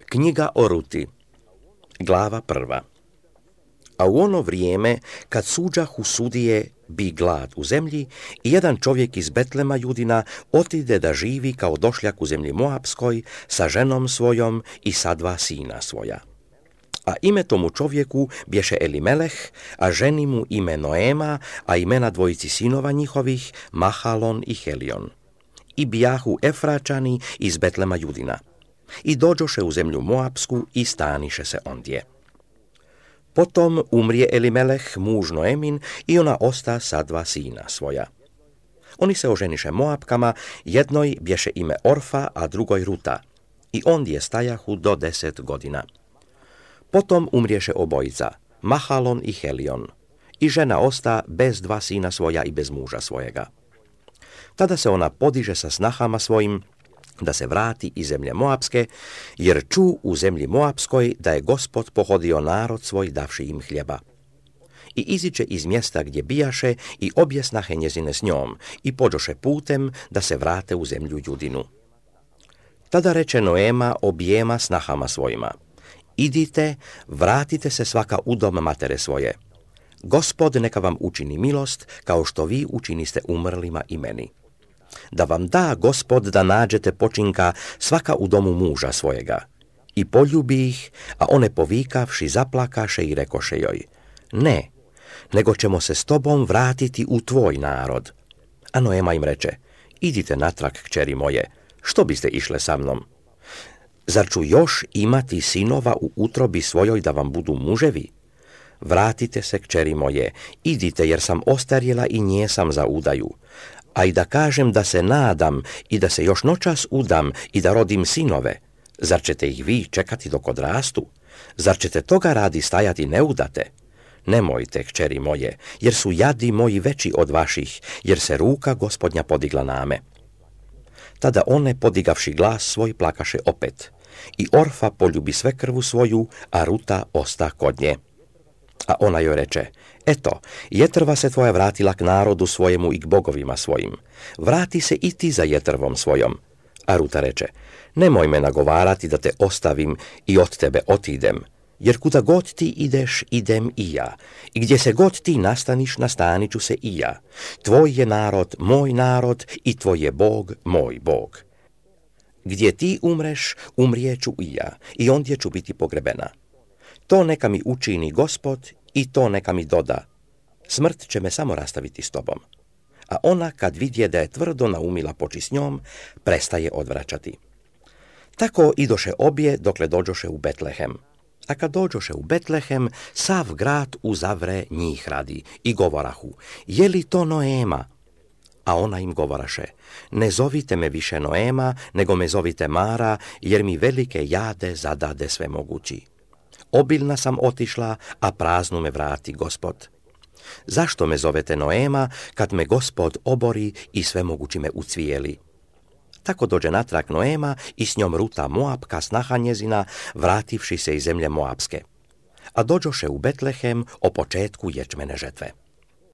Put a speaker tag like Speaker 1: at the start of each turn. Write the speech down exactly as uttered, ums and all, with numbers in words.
Speaker 1: Knjiga o Ruti, glava prva. A u ono vrijeme, kad suđahu sudije bi glad u zemlji, i jedan čovjek iz Betlema Judina otide da živi kao došljak u zemlji Moapskoj sa ženom svojom i sa dva sina svoja. A ime tomu čovjeku bješe Elimeleh, a ženi mu ime Noema, a imena dvojici sinova njihovih Mahalon i Helion. I bijahu Efračani iz Betlema Judina. I dođoše u zemlju Moapsku i staniše se ondje. Potom umrije Elimeleh, muž Noemin, i ona osta sa dva sina svoja. Oni se oženiše Moapkama, jednoj bješe ime Orfa, a drugoj Ruta, i ondje stajahu do deset godina. Potom umriješe obojica, Mahalon i Helion, i žena osta bez dva sina svoja i bez muža svojega. Tada se ona podiže sa snahama svojim, da se vrati iz zemlje Moapske, jer ču u zemlji Moapskoj da je Gospod pohodio narod svoj davši im hljeba. I iziđe iz mjesta gdje bijaše i objesnahe njezine s njom i pođoše putem da se vrate u zemlju Judinu. Tada reče Noema objema snahama svojima: idite, vratite se svaka u dom matere svoje. Gospod neka vam učini milost, kao što vi učiniste umrlima i meni. Da vam da Gospod da nađete počinka svaka u domu muža svojega. I poljubi ih, a one povikavši zaplakaše i rekoše joj: ne, nego ćemo se s tobom vratiti u tvoj narod. A Noema im reče: idite natrag, kćeri moje, što biste išle sa mnom? Zar ću još imati sinova u utrobi svojoj da vam budu muževi? Vratite se, kćeri moje, idite, jer sam ostarjela i njesam za udaju. A i da kažem da se nadam i da se još noćas udam i da rodim sinove, zar ćete ih vi čekati dok odrastu? Zar ćete toga radi stajati neudate? Nemojte, kćeri moje, jer su jadi moji veći od vaših, jer se ruka Gospodnja podigla name. Tada one, podigavši glas svoj, plakaše opet. I Orfa poljubi svekrvu svoju, a Ruta osta kod nje. A ona joj reče: eto, jetrva se tvoja vratila k narodu svojemu i k bogovima svojim. Vrati se i ti za jetrvom svojom. A Ruta reče: nemoj me nagovarati da te ostavim i od tebe otidem, jer kuda god ti ideš, idem i ja, i gdje se god ti nastaniš, nastanit ću se i ja. Tvoj je narod moj narod i tvoj je Bog moj Bog. Gdje ti umreš, umrijeću i ja, i ondje ću biti pogrebena. To neka mi učini Gospod i to neka mi doda. Smrt će me samo rastaviti s tobom. A ona, kad vidje da je tvrdo naumila poči s njom, prestaje odvraćati. Tako idoše obje dokle dođoše u Betlehem. A kad dođoše u Betlehem, sav grad uzavre njih radi i govorahu: je li to Noema? A ona im govoraše: ne zovite me više Noema, nego me zovite Mara, jer mi velike jade zadade sve mogući. Obilna sam otišla, a praznu me vrati Gospod. Zašto me zovete Noema, kad me Gospod obori i sve mogući me ucvijeli? Tako dođe natrag Noema i s njom Ruta Moapka, snaha njezina, vrativši se iz zemlje Moapske. A dođoše u Betlehem o početku ječmene žetve.